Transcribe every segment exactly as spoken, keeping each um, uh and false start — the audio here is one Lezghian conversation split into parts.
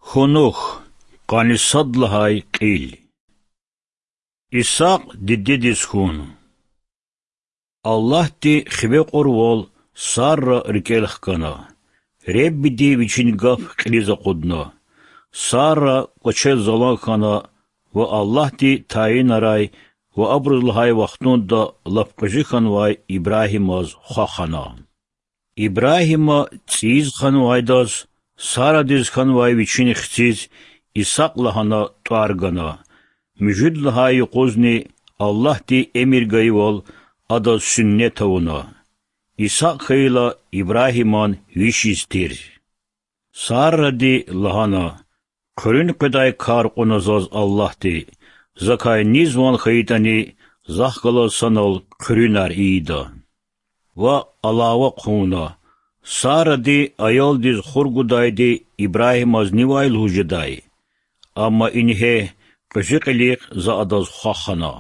Хьунухь, къанни сад лагьай кьил. Исакь дидедиз хьун. Аллагьди хиве кьурвал Сарра рикӀел хкана. Реббиди вичин гаф кьилиз акъудна. Сарра кӀвачел залан хьана ва Аллагьди тайинарай ва абуруз лагьай вахтунда лап кьуьзуь хьанвай Ибрагьимаз хва хана. Ибрагьима цӀийиз ханвайдаз Сарадиз хьанвай вичин хциз Исакь лагьана тӀвар гана. Муьжуьд лагьай юкъузни Аллагьди эмир гайивал адаз суннат авуна. Исакь хьайила Ибрагьиман виш йис тир. Саради лагьана: Хъуьруьн къведай кар кьуна заз Аллагьди, закай низ ван хьайитӀани, захъ галаз санал хъуьруьнар ийида. Ва алава хъувуна: Саради аялдиз хур гудайди Ибрагьимаз нивай лугьуз жедай? Амма ингье, кьуьзуь кьилихъ за адаз хва хана.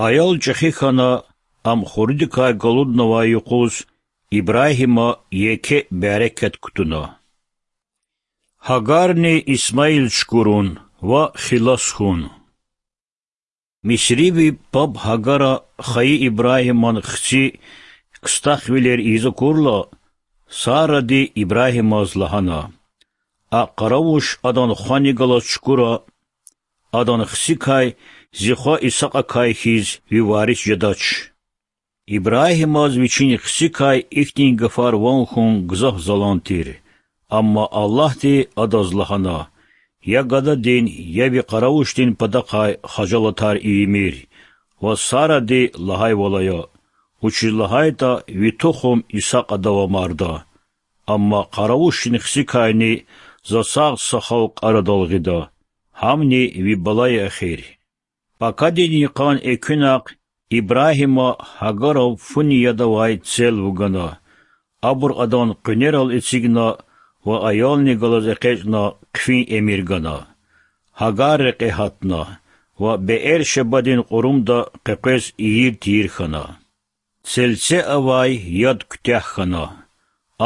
Аял чӀехи хьана, ам хурудикай галуднавай юкъуз Ибрагьима еке мярекат кутуна. Гьагарни Исмаил чукурун ва хилас хьун. Мисриви паб Гьагара хайи Ибрагьиман хци кстахвилер ийиз акурла, Саради Ибрагьимаз лагьана: А къаравуш адан хвани галаз чукура, адан хцикай, зи хва Исакьакай хьиз, ви варис жедач. Ибрагьимаз вичин хцикай ихьтин гафар ван хьун гзаф залан тир. Амма Аллагьди адаз лагьана: Я гададин, я ви къаравушдин патахъай хажалатар ийимир. Ва Саради лагьайвал ая, вучиз лагьайтӀа ви тухум Исакь адав амарда. Амма къаравушдин хцикайни за сагъ са халкь арадал гъида, гьамни ви бала я эхир. Пакадин йикъан экуьнахъ Ибрагьима Гьагарав фуни яд авай цел вугана, абур адан къуьнерал эцигна ва аялни галаз экъечӀна хъфин эмир гана. Гьагар рекье гьатна ва Беэршебадин кьурумда къекъвез ийир-тийир хьана. Цельце авай яд куьтягь хьана.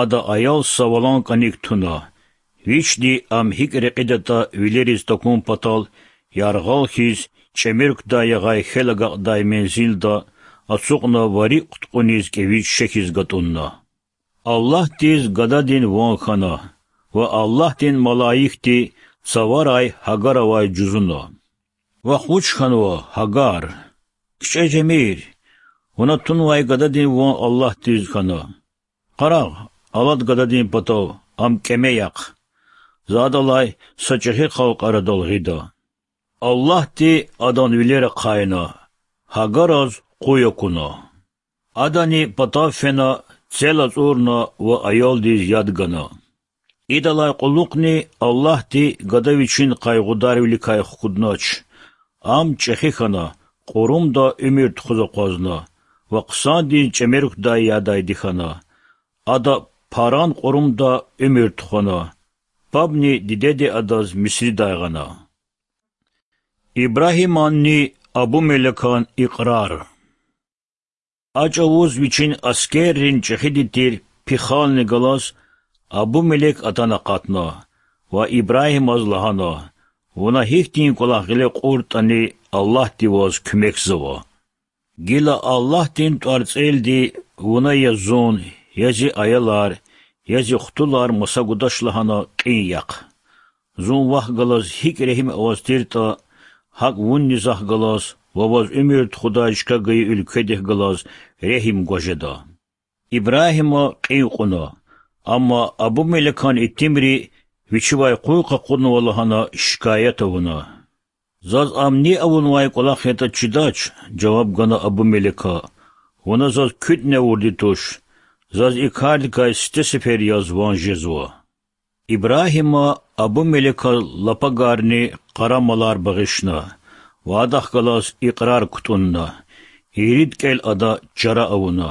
Ада аял са валан кӀаник туна. Вични ам гьикӀ рекьидатӀа вилериз такун патал, яргъал хьиз, чӀемерукдай ягъай хьел агакьдай мензилда ацукьна ва рикӀ кьудкьуниз кӀевиз шехьиз гатӀунна. Аллагьдиз гададин ван хьана, ва Аллагьдин малаикди цаварай Гьагаравай жузуна: Вахъ вуч хьанва, Гьагар? КичӀе жемир, вуна тунвай гададин ван Аллагьдиз хьана. Къарагъ, алад гададин патав, ам кӀеме яхъ. За адалай са чӀехи халкь арадал гъида. Аллагьди адан вилер ахъайна, Гьагараз къуй акуна. Адани патав фена, цел ацӀурна ва аялдиз яд гана. Идалай кьулухъни Аллагьди гада вичин къайгъударвиликай хкуднач. Ам чӀехи хьана, кьурумда уьмуьр тухуз акъвазна ва хъсандиз чӀемерукдай ядайди хьана. Ада Паран кьурумда уьмуьр тухвана. Пабни дидеди адаз Мисридай гъана. Ибрагьиманни Абумелекан икьрар. А чӀавуз вичин аскеррин чӀехиди тир Пихални галаз Абумелек атана акъатна ва Ибрагьимаз лагьана: Вуна гьихьтин кӀвалах гъиле кьуртӀани, Аллагьди ваз куьмекзава. Гила Аллагьдин тӀварцӀелди вуна я зун, я зи аялар, я зи хтулар маса гудач лагьана кьин яхъ. Зун вахъ галаз гьикӀ регьим аваз тиртӀа, гьакӀ вунни захъ галаз ва ваз уьмуьр тухудай чка гайи уьлкведихъ галаз регьим гваз жеда. Ибрагьима кьин кьуна, амма Абумелекан итимри вичивай къуй къакъуднава лагьана шикаят авуна. Заз ам ни авунвай кӀвалах ятӀа чидач,— жаваб гана Абумелека,— вуна заз куьтӀни авурди туш, заз и кардикай сифте сефер яз ван жезва. Ибрагьима Абумелеказ лапагарни къарамалар багъишна ва адахъ галаз икьрар кутӀунна. Ирид кӀел ада чара авуна.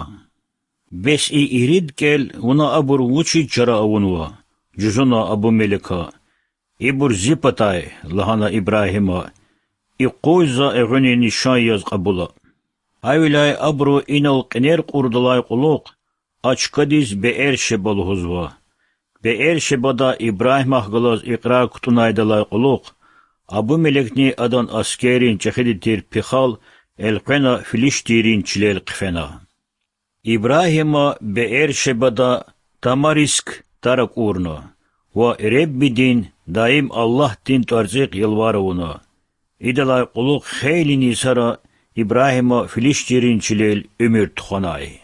Бес и ирид кӀел вуна абур вучиз чара авунва? жузуна Абумелека. Ибур зи патай,— лагьана Ибрагьима,— и къуй за эгъуьнин нишан яз кьабула. Гьавиляй абуру инал кьенер кьурдалай кьулухъ а чкадиз Беэршеба лугьузва. Беэршебада Ибрагьимахъ галаз икьрар кутӀунайдалай кьулухъ Абимелекни адан аскеррин чӀехиди тир Пихал элкъвена филиштийрин чилел хъфена. Ибрагьима Беэршебада тамариск тар акӀурна ва Худадин, даим Аллагьдин тӀварцӀихъ ялвар авуна. Идалай кьулухъ хейлин йисара Ибрагьима филиштийрин чилел уьмуьр тухванай.